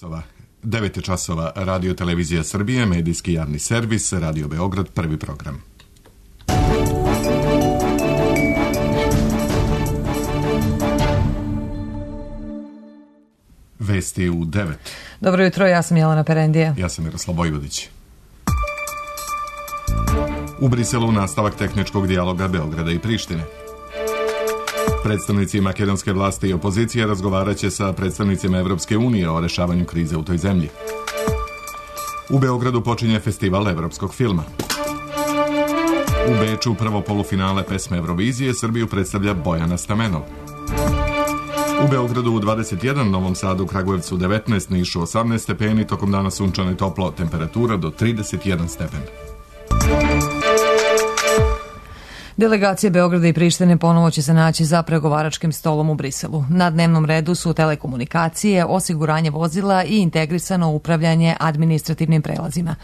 9 časova, Radio Televizija Srbije, medijski javni servis, Radio Beograd, prvi program. Vesti u 9. Dobro jutro, ja sam Jelena Perendija. Ja sam Miroslav Vojvodić. U Briselu nastavak tehničkog dijaloga Beograda i Prištine. Predstavnici makedonske vlasti i opozicije razgovarat će sa predstavnicima Evropske unije o rešavanju krize u toj zemlji. U Beogradu počinje festival evropskog filma. U Beču prvo polufinale pesme Eurovizije Srbiju predstavlja Bojana Stamenov. U Beogradu 21, Novom Sadu, Kragujevcu 19, Nišu 18 stepeni, tokom dana sunčano i toplo, temperatura do 31 stepen. Delegacije Beograda i Prištine ponovo će se naći za pregovaračkim stolom u Briselu. Na dnevnom redu su telekomunikacije, osiguranje vozila i integrisano upravljanje administrativnim prelazima.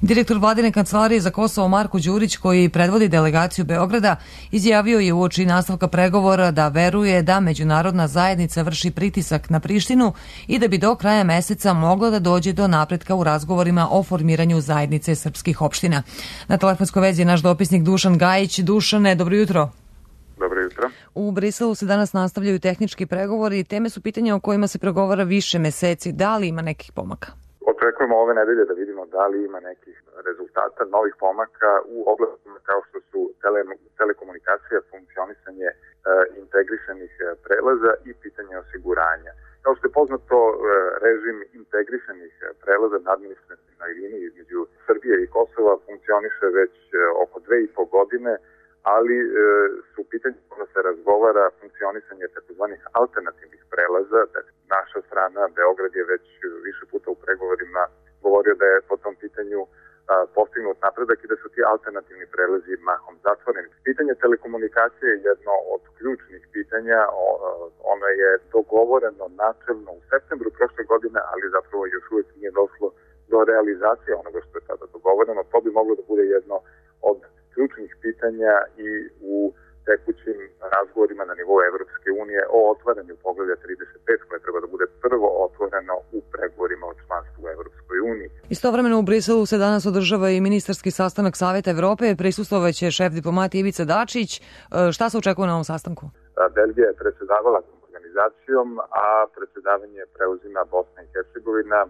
Direktor vladine kancelarije za Kosovo Marko Đurić, koji predvodi delegaciju Beograda, izjavio je uoči nastavka pregovora da veruje da međunarodna zajednica vrši pritisak na Prištinu i da bi do kraja meseca moglo da dođe do napretka u razgovorima o formiranju zajednice srpskih opština. Na telefonskoj vezi je naš dopisnik Dušan Gajić. Dušan, dobro jutro. Dobro jutro. U Briselu se danas nastavljaju tehnički pregovori i teme su pitanja o kojima se pregovara više meseci. Da li ima nekih pomaka? Očekujemo ove nedelje da vidimo da li ima nekih rezultata, novih pomaka u oblastima kao što su telekomunikacija, funkcionisanje integrisanih prelaza i pitanje osiguranja. Kao što je poznato, režim integrisanih prelaza na administrativnoj liniji između Srbije i Kosova funkcioniše već oko 2,5 godine, ali su pitanje kada se razgovara funkcionisanje takozvanih alternativnih prelaza. Naša strana, Beograd, je već više puta u pregovorima govorio da je po tom pitanju postignut napredak i da su ti alternativni prelazi mahom zatvoreni. Pitanje telekomunikacije je jedno od ključnih pitanja. Ono je dogovoreno načelno u septembru prošle godine, ali zapravo još uvijek nije došlo do realizacije onoga što je tada dogovoreno. To bi moglo da bude jedno od ključnih pitanja i u tekućim razgovorima na nivou Evropske unije o otvaranju poglavlja 35, koje treba da bude prvo otvoreno u pregovorima o članstvu u Evropskoj uniji. Istovremeno u Briselu se danas održava i ministarski sastanak Saveta Evrope. Prisustvovaće šef diplomatije Ivica Dačić. Šta se očekuje na ovom sastanku? Belgija je predsedavala organizacijom, a predsedavanje preuzima Bosna i Hercegovina.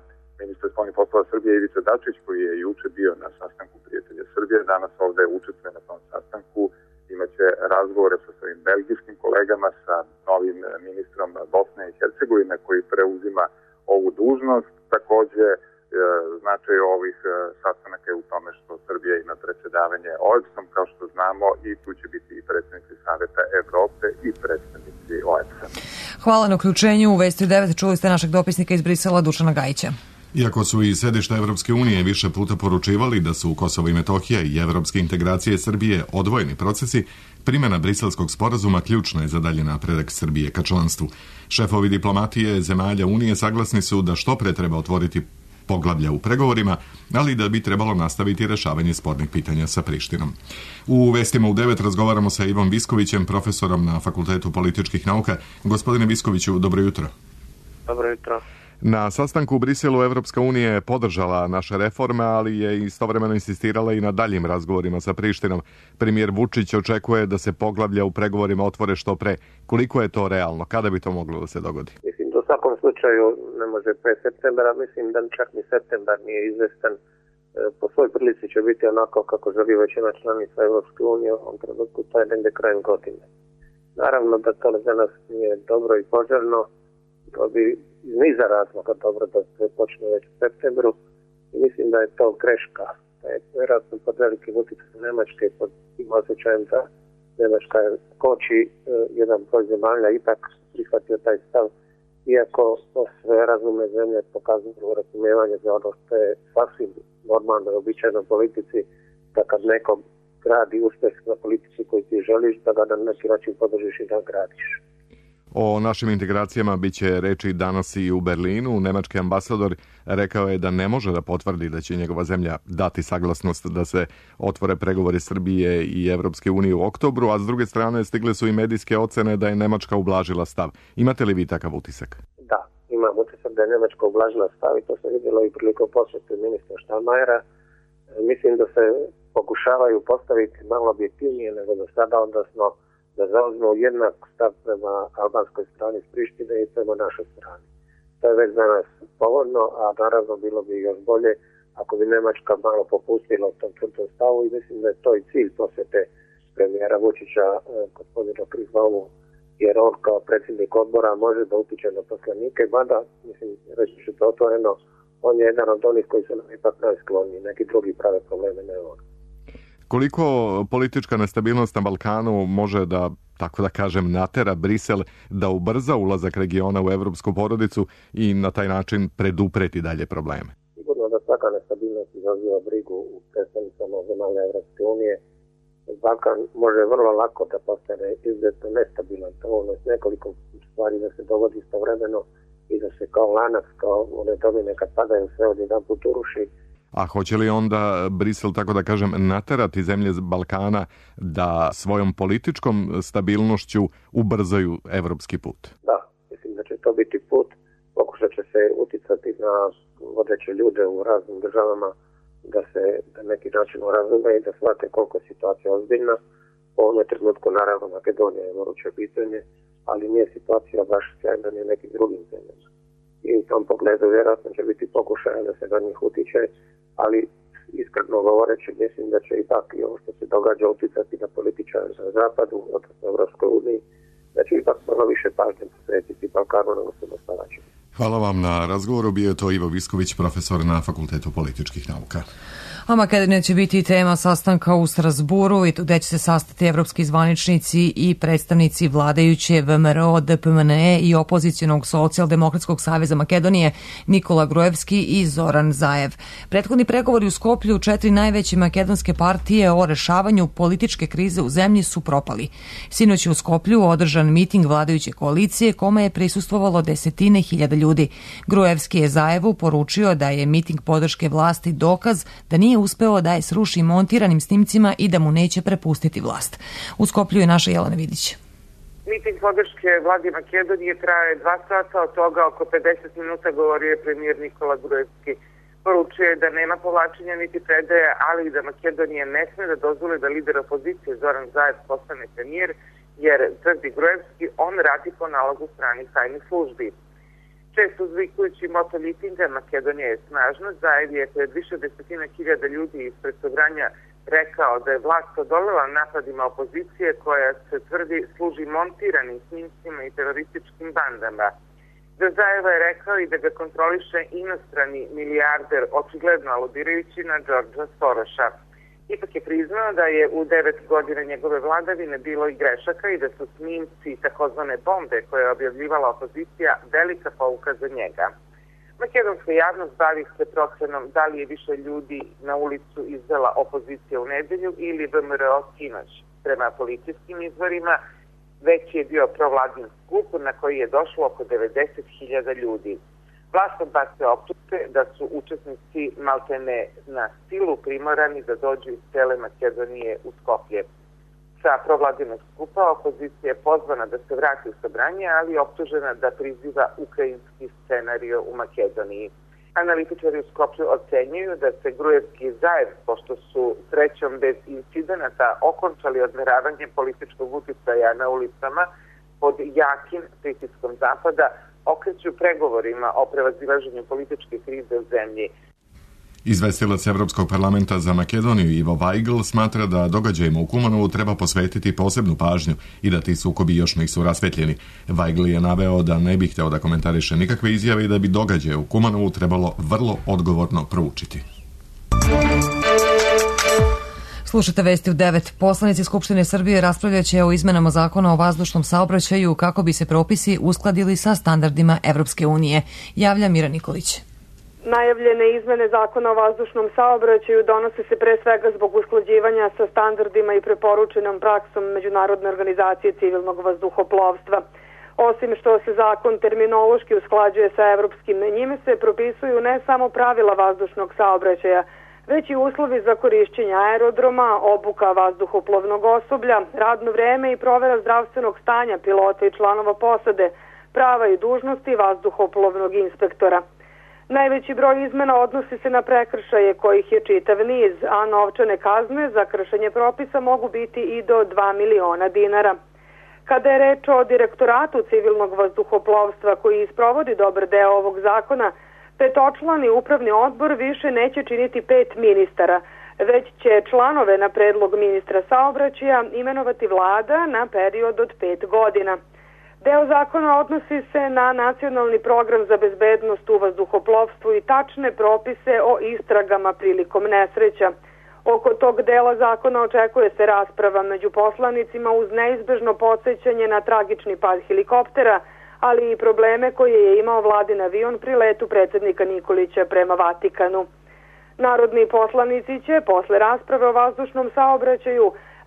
Ministar spoljnih poslova Srbije Ivica Dačić, koji je juče bio na sastanku prijatelja Srbije, danas ovde učestvuje na tom sastanku. Imaće razgovore sa svojim belgijskim kolegama, sa novim ministrom Bosne i Hercegovine koji preuzima ovu dužnost. Takođe, značaj ovih sastanaka je u tome što Srbija ima predsedavanje OEBS-om, kao što znamo, i tu će biti i predstavnici Saveta Evrope i predstavnici OEBS-a. Hvala na uključenju. U Vesti 9 čuli ste našeg dopisnika iz Brisela Dušana Gajića. Iako su i sedišta Evropske unije više puta poručivali da su Kosovo i Metohija i evropske integracije Srbije odvojeni procesi, primjena briselskog sporazuma ključna je za dalji napredak Srbije ka članstvu. Šefovi diplomatije zemalja Unije saglasni su da što pre treba otvoriti poglavlja u pregovorima, ali da bi trebalo nastaviti rešavanje spornih pitanja sa Prištinom. U Vestima u 9 razgovaramo sa Ivom Viskovićem, profesorom na Fakultetu političkih nauka. Gospodine Viskoviću, dobro jutro. Dobro jutro. Na sastanku u Briselu Evropska unija je podržala naše reforme, ali je istovremeno insistirala i na daljim razgovorima sa Prištinom. Premijer Vučić očekuje da se poglavlja u pregovorima otvore što pre. Koliko je to realno? Kada bi to moglo da se dogodi? Mislim, u svakom slučaju ne može pre septembra. Mislim da čak ni septembar nije izvestan. Po svoj prilici će biti onako kako želi većina članica Evropske unije u ovom trenutku, to je negde krajem godine. Naravno da to za nas nije dobro i poželjno. To bi iz niza razloga dobro da se počne već u septembru i mislim da je to greška. Da je vjerojatno pod velikim utjecajem Nemačke, pod tim osjećajem da Nemačka koči jedan broj zemalja ipak prihvatio taj stav, iako sve razumne zemlje pokazuju razumijevanje za ono što je sasvim normalno i običajno politici, da kad neko gradi uspjeh na politici koji ti želiš, da ga na neki način podržiš i da gradiš. O našim integracijama biće reči danas i u Berlinu. Nemački ambasador rekao je da ne može da potvrdi da će njegova zemlja dati saglasnost da se otvore pregovori Srbije i Evropske unije u oktobru, a s druge strane stigle su i medijske ocene da je Nemačka ublažila stav. Imate li vi takav utisak? Da, imam utisak da je Njemačka ublažila stav i to se vidjelo i prilikom posjete ministra Steinmeiera. Mislim da se pokušavaju postaviti malo objektivnije nego do sada, odnosno da zauzmu jednak stav prema albanskoj strani s Prištine i prema našoj strani. To je već danas povoljno, a naravno bilo bi još bolje ako bi Njemačka malo popustila u tom tvrtom stavu i mislim da je to i cilj posjete premijera Vučića gospodina Prihvalu, jer on kao predsjednik odbora može da utiče na poslanike, mada, mislim, reći ću to otvoreno, on je jedan od onih koji su nam ipak najskloniji, neki drugi prave probleme, ne on. Koliko politička nestabilnost na Balkanu može da, tako da kažem, natera Brisel da ubrza ulazak regiona u evropsku porodicu i na taj način predupreti dalje probleme? Sigurno da svaka nestabilnost izaziva brigu u predstavnicama zemalja Evropske unije. Balkan može vrlo lako da postane izuzetno nestabilan, to s nekoliko stvari da se dogodi istovremeno i da se kao lanac, kao one domine kad padaju sve odjedanput uruši. A hoće li onda Brisel, tako da kažem, naterati zemlje Balkana da svojom političkom stabilnošću ubrzaju evropski put? Da, mislim da će to biti put. Pokušat će se uticati na vodeće ljude u raznim državama da se na neki način razume i da shvate koliko je situacija ozbiljna. U ovom trenutku naravno Makedonija je moruće pitanje, ali nije situacija baš sjajna ni nekim drugim zemljama. I u tom pogledu vjerojatno će biti pokušaja da se na njih utiče, ali iskreno govoreći mislim da će ipak i ovo što se događa uticati na političare na zapadu, odnosno Evropskoj uniji, da će ipak malo više pažnje posvetiti Balkanu nego što dostavaće. Hvala vam na razgovoru. Bio je to Ivo Visković, profesor na Fakultetu političkih nauka. A Makedonija će biti tema sastanka u Strasburu i gde će se sastati evropski zvaničnici i predstavnici vladajuće VMRO, DPMNE i opozicionog Socijaldemokratskog saveza Makedonije Nikola Gruevski i Zoran Zaev. Prethodni pregovori u Skoplju 4 najveće makedonske partije o rešavanju političke krize u zemlji su propali. Sinoć je u Skoplju održan miting vladajuće koalicije kome je prisustvovalo desetine hiljada ljudi. Gruevski je Zaevu poručio da je miting podrške vlasti dokaz da nije uspeo da je sruši montiranim snimcima i da mu neće prepustiti vlast. U Skoplju je naša Jelena Vidić. Miting podrške vladi Makedonije traje 2 sata, od toga oko 50 minuta govorio je premijer Nikola Gruevski. Poručio je da nema povlačenja niti predaje, ali i da Makedonija ne sme da dozvoli da lider opozicije Zoran Zaev postane premijer, jer, tvrdi Gruevski, on radi po nalogu stranih tajnih službi. Često uzvikujući moto mitinga Makedonija je snažna, Zaev je pred više desetina hiljada ljudi ispred Sobranja rekao da je vlast odolela napadima opozicije koja se tvrdi služi montiranim snimcima i terorističkim bandama. Da Zaeva je rekao i da ga kontroliše inostrani milijarder, očigledno aludirajući na Đorđa Soroša. Ipak je priznao da je u 9 godina njegove vladavine bilo i grešaka i da su snimci takozvane bombe koje je objavljivala opozicija velika pouka za njega. Makedonska javnost bavi se procenom da li je više ljudi na ulicu izvela opozicija u nedelju ili VMRO sinoć. Prema policijskim izvorima već je bio provladin skup na koji je došlo oko 90.000 ljudi. Vlast odbacuje optužbe da su učesnici maltene na silu primorani da dođu iz cele Makedonije u Skoplje. Sa provladinog skupa opozicija je pozvana da se vrati u Sobranje, ali je optužena da priziva ukrajinski scenario u Makedoniji. Analitičari u Skoplju ocenjuju da se Gruevski i Zaev, pošto su srećom bez incidenata okončali odmeravanje političkog uticaja na ulicama pod jakim pritiskom Zapada, okreću pregovorima o prevazilaženju političke krize u zemlji. Izvestilac Evropskog parlamenta za Makedoniju Ivo Weigl smatra da događajima u Kumanovu treba posvetiti posebnu pažnju i da ti sukobi još nisu rasvetljeni. Weigl je naveo da ne bi hteo da komentariše nikakve izjave i da bi događaje u Kumanovu trebalo vrlo odgovorno proučiti. Slušate vesti u 9. Poslanici Skupštine Srbije raspravljaće o izmenama zakona o vazdušnom saobraćaju kako bi se propisi uskladili sa standardima Evropske unije. Javlja Mira Nikolić. Najavljene izmene zakona o vazdušnom saobraćaju donose se pre svega zbog usklađivanja sa standardima i preporučenom praksom Međunarodne organizacije civilnog vazduhoplovstva. Osim što se zakon terminološki usklađuje sa evropskim, njime se propisuju ne samo pravila vazdušnog saobraćaja, već i uslovi za korišćenje aerodroma, obuka vazduhoplovnog osoblja, radno vreme i provera zdravstvenog stanja pilota i članova posade, prava i dužnosti vazduhoplovnog inspektora. Najveći broj izmena odnosi se na prekršaje kojih je čitav niz, a novčane kazne za kršenje propisa mogu biti i do 2 miliona dinara. Kada je reč o Direktoratu civilnog vazduhoplovstva koji isprovodi dobar deo ovog zakona, petočlani upravni odbor više neće činiti 5 ministara, već će članove na predlog ministra saobraćaja imenovati vlada na period od 5 godina. Deo zakona odnosi se na nacionalni program za bezbednost u vazduhoplovstvu i tačne propise o istragama prilikom nesreća. Oko tog dela zakona očekuje se rasprava među poslanicima uz neizbežno podsjećanje na tragični pad helikoptera, ali i probleme koje je imao vladin avion pri letu predsjednika Nikolića prema Vatikanu. Narodni poslanici će posle rasprave o vazdušnom saobraćaju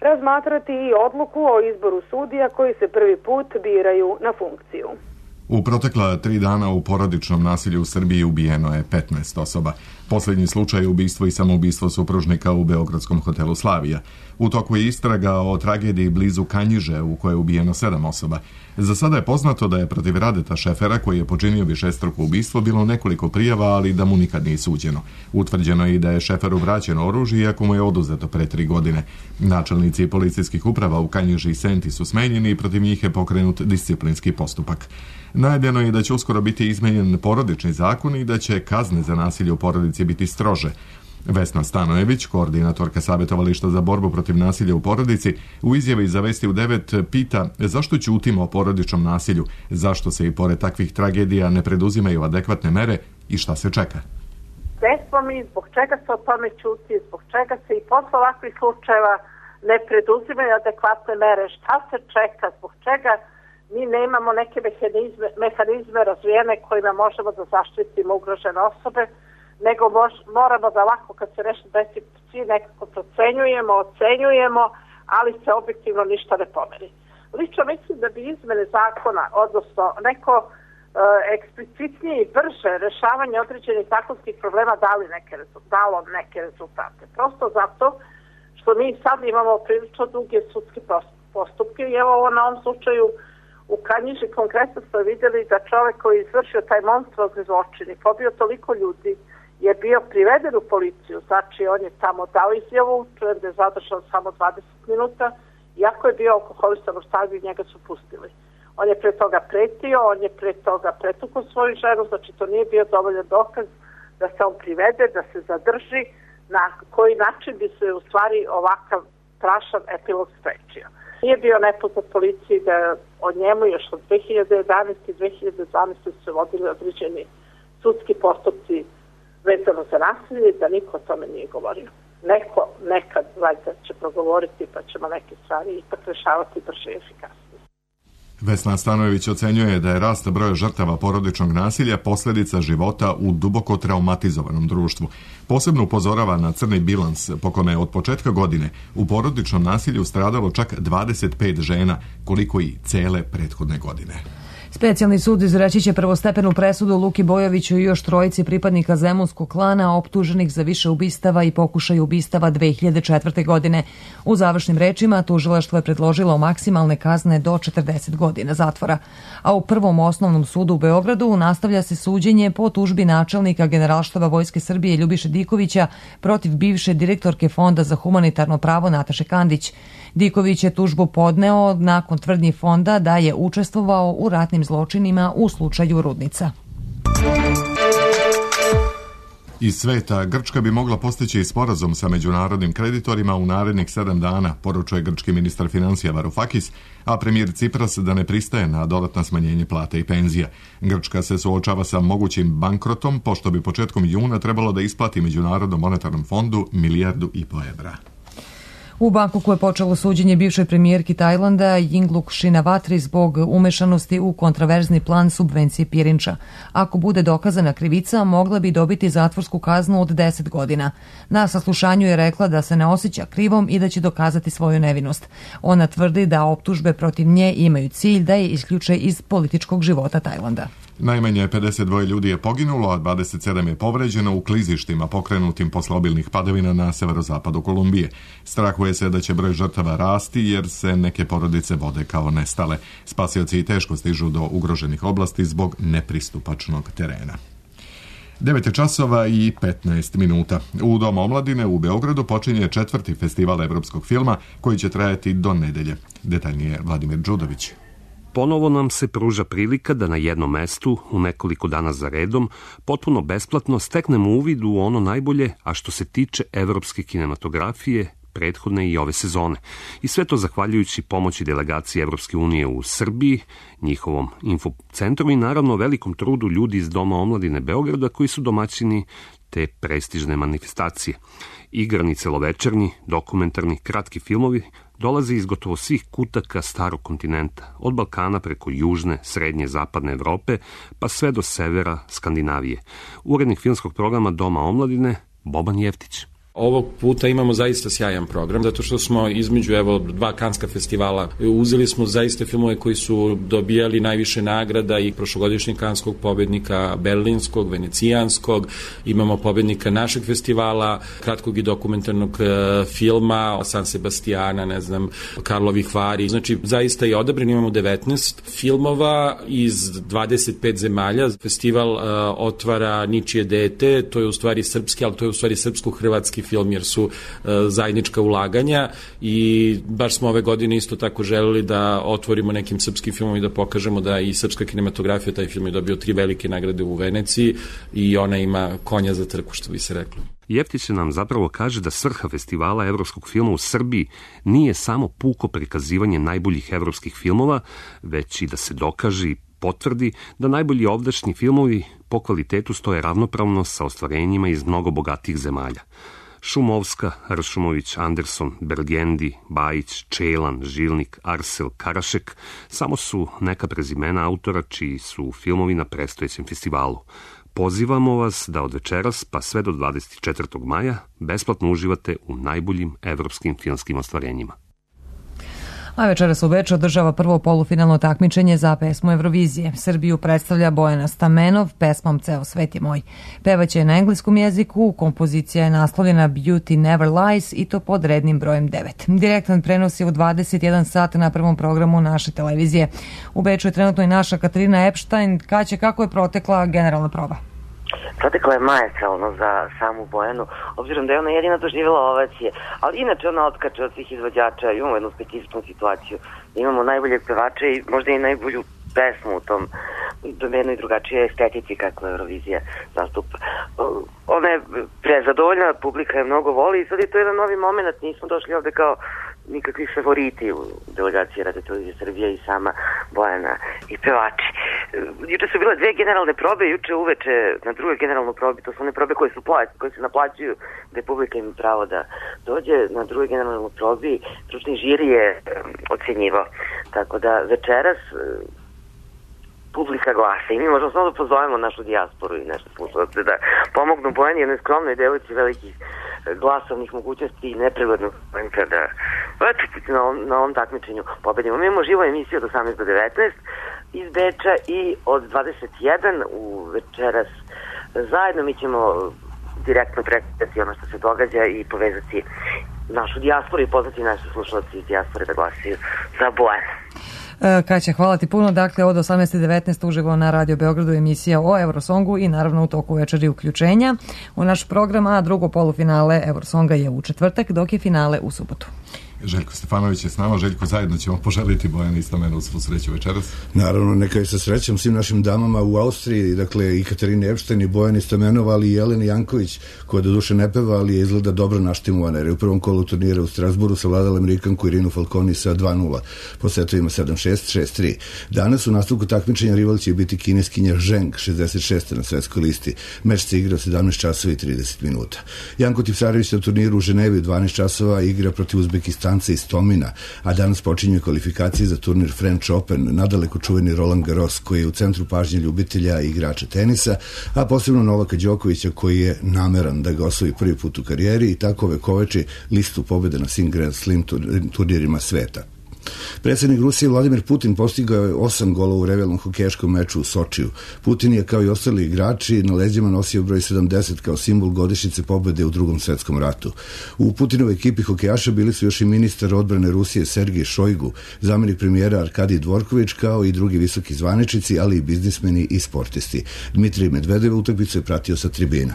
razmatrati i odluku o izboru sudija koji se prvi put biraju na funkciju. U protekla 3 dana u porodičnom nasilju u Srbiji ubijeno je 15 osoba. Posljednji slučaj je ubistvo i samoubistvo supružnika u beogradskom hotelu Slavija. U toku je istraga o tragediji blizu Kanjiže u kojoj je ubijeno 7 osoba. Za sada je poznato da je protiv Radeta Šefera, koji je počinio višestruko ubistvo, bilo nekoliko prijava, ali da mu nikad nije suđeno. Utvrđeno je i da je Šeferu vraćeno oružje, iako mu je oduzeto pre 3 godine. Načelnici policijskih uprava u Kanjiži i Senti su smenjeni i protiv njih je pokrenut disciplinski postupak. Najavljeno je da će uskoro biti izmenjen porodični zakon i da će kazne za nasilje u porodici biti strože. Vesna Stanojević, koordinatorka savjetovališta za borbu protiv nasilja u porodici, u izjavi za Vesti u 9 pita zašto ćutimo o porodičnom nasilju, zašto se i pored takvih tragedija ne preduzimaju adekvatne mere i šta se čeka. Gde smo mi, zbog čega se o tome ćuti, zbog čega se i posle ovakvih slučajeva ne preduzimaju adekvatne mere, šta se čeka, zbog čega mi nemamo neke mehanizme razvijene kojima možemo da zaštitimo ugrožene osobe, nego moramo da lako kad se nešto desi svi nekako procenjujemo, ocenjujemo, ali se objektivno ništa ne pomeri. Lično mislim da bi izmene zakona, odnosno neko eksplicitnije i brže rešavanje određenih zakonskih problema dalo neke rezultate. Prosto zato što mi sad imamo prilično duge sudske postupke i evo na ovom slučaju u Kanjiži konkretno smo vidjeli da čovjek koji je izvršio taj monstruozni zločin i pobio toliko ljudi je bio priveden u policiju, znači on je tamo dao izjavu, čujem da je zadržan samo 20 minuta, iako je bio alkoholisan u stanju i njega su pustili. On je pre toga pretio, on je pre toga pretukao svoju ženu, znači to nije bio dovoljan dokaz da se on privede, da se zadrži, na koji način bi se u stvari ovakav strašan epilog sprečio. Nije bio nepoznat policiji da o njemu još od 2011. i 2012. su se vodili određeni sudski postupci vezano za nasilje, da niko o tome nije govorio. Neko nekad valjda će progovoriti pa ćemo neke stvari ipak rešavati brže i efikasnije. Vesna Stanojević ocenjuje da je rast broja žrtava porodičnog nasilja posljedica života u duboko traumatizovanom društvu. Posebno upozorava na crni bilans po kome je od početka godine u porodičnom nasilju stradalo čak 25 žena, koliko i cele prethodne godine. Specijalni sud izreći će prvostepenu presudu Luki Bojoviću i još 3 pripadnika zemunskog klana optuženih za više ubistava i pokušaj ubistava 2004. godine. U završnim rečima tužilaštvo je predložilo maksimalne kazne do 40 godina zatvora. A u Prvom osnovnom sudu u Beogradu nastavlja se suđenje po tužbi načelnika Generalštaba Vojske Srbije Ljubiše Dikovića protiv bivše direktorke Fonda za humanitarno pravo Nataše Kandić. Diković je tužbu podneo nakon tvrdnji fonda da je učestvovao u ratnim zločinima u slučaju Rudnica. Iz sveta, Grčka bi mogla postići sporazum sa međunarodnim kreditorima u narednih 7 dana, poručuje grčki ministar financija Varoufakis, a premijer Cipras da ne pristaje na dodatna smanjenje plate i penzija. Grčka se suočava sa mogućim bankrotom, pošto bi početkom juna trebalo da isplati Međunarodnom monetarnom fondu 1,5 milijardu evra. U Bangkoku je počelo suđenje bivšoj premijerki Tajlanda Yingluck Shinawatri zbog umešanosti u kontraverzni plan subvencije pirinča. Ako bude dokazana krivica, mogla bi dobiti zatvorsku kaznu od 10 godina. Na saslušanju je rekla da se ne osjeća krivom i da će dokazati svoju nevinost. Ona tvrdi da optužbe protiv nje imaju cilj da je isključe iz političkog života Tajlanda. Najmanje 52 ljudi je poginulo, a 27 je povređeno u klizištima pokrenutim posle obilnih padavina na severozapadu Kolumbije. Strahuje se da će broj žrtava rasti jer se neke porodice vode kao nestale. Spasioci i teško stižu do ugroženih oblasti zbog nepristupačnog terena. 9 časova i 15 minuta. U Domu omladine u Beogradu počinje 4. festival evropskog filma koji će trajati do nedelje. Detaljnije Vladimir Đudović. Ponovo nam se pruža prilika da na jednom mestu, u nekoliko dana za redom, potpuno besplatno steknemo uvid u ono najbolje, a što se tiče evropske kinematografije, prethodne i ove sezone. I sve to zahvaljujući pomoći delegacije Evropske unije u Srbiji, njihovom infocentru i naravno velikom trudu ljudi iz Doma omladine Beograda koji su domaćini te prestižne manifestacije. Igrani celovečernji, dokumentarni, kratki filmovi dolaze iz gotovo svih kutaka starog kontinenta, od Balkana preko južne, srednje, zapadne Evrope, pa sve do severa Skandinavije. Urednik filmskog programa Doma omladine Boban Jeftić. Ovog puta imamo zaista sjajan program, zato što smo između dva Kanska festivala uzeli smo zaista filmove koji su dobijali najviše nagrada i prošlogodišnjeg kanskog pobednika berlinskog, venecijanskog, imamo pobednika našeg festivala, kratkog i dokumentarnog filma, San Sebastiana, Karlovih Vari. Znači, zaista je odabran, imamo 19 filmova iz 25 zemalja. Festival otvara Ničije dete, to je u stvari srpski, ali to je u stvari srpsko-hrvatski film jer su zajednička ulaganja i baš smo ove godine isto tako želeli da otvorimo nekim srpskim filmom i da pokažemo da i srpska kinematografija, taj film je dobio 3 velike nagrade u Veneciji i ona ima konja za trku, što bi se reklo. Jeftić nam zapravo kaže da svrha festivala evropskog filma u Srbiji nije samo puko prikazivanje najboljih evropskih filmova, već i da se dokaže i potvrdi da najbolji ovdašnji filmovi po kvalitetu stoje ravnopravno sa ostvarenjima iz mnogo bogatih zemalja. Šumovska, Ršumović, Anderson, Bergendi, Bajić, Čelan, Žilnik, Arsel, Karašek samo su neka prezimena autora čiji su filmovi na predstojećem festivalu. Pozivamo vas da od večeras pa sve do 24. maja besplatno uživate u najboljim evropskim filmskim ostvarenjima. A večeras u Beču održava prvo polufinalno takmičenje za pesmu Eurovizije. Srbiju predstavlja Bojana Stamenov pesmom Ceo svet je moj. Pevaće na engleskom jeziku, kompozicija je naslovljena Beauty Never Lies i to pod rednim brojem 9. Direktan prenos je u 21 sat na prvom programu naše televizije. U Beču je trenutno i naša Katarina Epštajn. Kaće, kako je protekla generalna proba? Protekla je maestralno za samu Bojanu, obzirom da je ona jedina doživjela ovacije, ali inače ona otkače od svih izvođača. Imamo jednu specifičnu situaciju, imamo najboljeg pevača i možda i najbolju pesmu u tom domenu i drugačije estetici kako Eurovizija zastupa. Ona je prezadovoljna, publika je mnogo voli i sad je to jedan novi moment, nismo došli ovde kao nikakvi favoriti u delegaciji Radio Televizije Srbije i sama Bojana i pevači. Juče su bile 2 generalne probe, juče uveče na drugoj generalnoj probi, to su one probe koje se naplaćuju, gde publika ima pravo da dođe. Na drugoj generalnoj probi stručni žiri je ocenjivao. Tako da večeras publika glasa i mi možemo samo da pozovemo našu dijasporu i nešto slušalce da pomognu Bojani, jednoj skromnoj devojci velikih glasovnih mogućnosti i neprirodnog momenta da na ovom takmičenju pobedimo. Mi imamo živu emisiju od 18 do 19 iz Beča i od 21 u večeras zajedno mi ćemo direktno prekretati ono što se događa i povezati našu dijasporu i pozvati naše slušalci iz dijaspore da glasaju za Bojanu. Kaća, hvala ti puno. Dakle, od 18.19 uživo na Radio Beogradu emisija o Eurosongu i naravno u toku večeri uključenja u naš program, a drugo polufinale Eurosonga je u četvrtak, dok je finale u subotu. Željko Stefanović je s nama. Željko, zajedno ćemo poželiti Bojani i Stamenu svu sreću večeras. Naravno, neka je sa srećom svim našim damama u Austriji, dakle i Katarine Epštajn i Bojani Stamenova, ali i Jeleni Janković, koja do duše ne peva, ali je izgleda dobro naštimovana, jer je u prvom kolu turnira u Strasburu savladala Amerikanku Irinu Falconi sa 2-0, po setovima 7-6, 6-3. Danas u nastavku takmičenja rival će biti kineskinja Zheng, 66. na svetskoj listi. Meč se igra 17 časova i 30 minuta. Janko Tipsarević na turniru u Ženevi 12 časova igra protiv Uzbekistana iz Tomina, a danas počinju kvalifikacije za turnir French Open, nadaleko čuveni Roland Garros, koji je u centru pažnje ljubitelja i igrača tenisa, a posebno Novaka Đokovića, koji je nameran da ga osvoji prvi put u karijeri i tako vekoveči listu pobjede na svim Grand Slam turnirima sveta. Predsjednik Rusije Vladimir Putin postigao je 8 golova u revijalnom hokejaškom meču u Sočiju. Putin je, kao i ostali igrači, na leđima nosio broj 70 kao simbol godišnjice pobjede u Drugom svjetskom ratu. U Putinovoj ekipi hokejaša bili su još i ministar odbrane Rusije Sergej Šojgu, zamjenik premijera Arkadij Dvorković, kao i drugi visoki zvaničnici, ali i biznismeni i sportisti. Dmitrij Medvedev utakmicu je pratio sa tribina.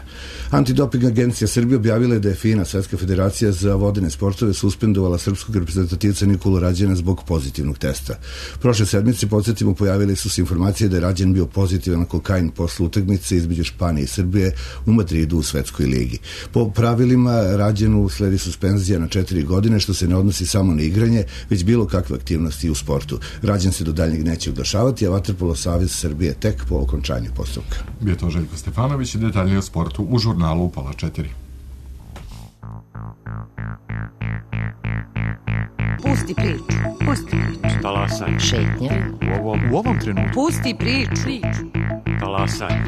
Antidoping agencija Srbije objavila je da je FINA, Svetska federacija za vodene sportove, suspendovala srpskog reprezentativca Nikolu Rađena zbog pozitivnog testa. Prošle sedmice, podsjetimo, pojavili su se informacije da je Rađen bio pozitivan na kokain posle utakmice između Španije i Srbije u Madridu u Svetskoj ligi. Po pravilima Rađenu sledi suspenzija na 4 godine, što se ne odnosi samo na igranje, već bilo kakve aktivnosti u sportu. Rađen se do daljnjeg neće oglašavati, a Vaterpolo savez Srbije tek po okončanju postupka. Bio to Željko Stefanović i detaljnije o sportu u žurnalu u 3:30. Pusti priču. Pusti priču. Talasaj. Šetnja. U ovom trenutku. Pusti priču. Talasaj.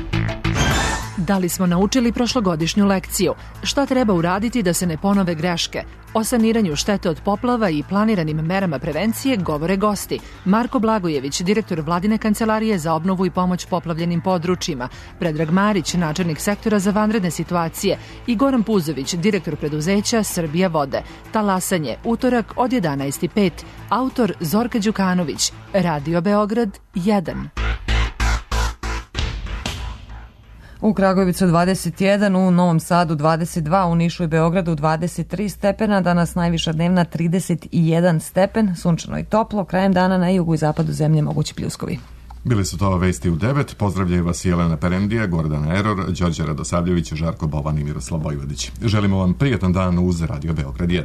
Da li smo naučili prošlogodišnju lekciju? Šta treba uraditi da se ne ponove greške? O saniranju štete od poplava i planiranim merama prevencije govore gosti. Marko Blagojević, direktor Vladine kancelarije za obnovu i pomoć poplavljenim područjima, Predrag Marić, načelnik sektora za vanredne situacije i Goran Puzović, direktor preduzeća Srbija vode. Talasanje, utorak od 11:05. Autor Zorka Đukanović. Radio Beograd 1. U Kragujevcu 21, u Novom Sadu 22, u Nišu i Beogradu 23 stepena, danas najviša dnevna 31 stepen, sunčano i toplo, krajem dana na jugu i zapadu zemlje mogući pljuskovi. Bili su to vesti u 9, pozdravljaju vas Jelena Perendija, Gordana Eror, Đorđe Radosavljević, Žarko Bovan i Miroslav Vojvodić. Želimo vam prijatan dan uz Radio Beograd 1.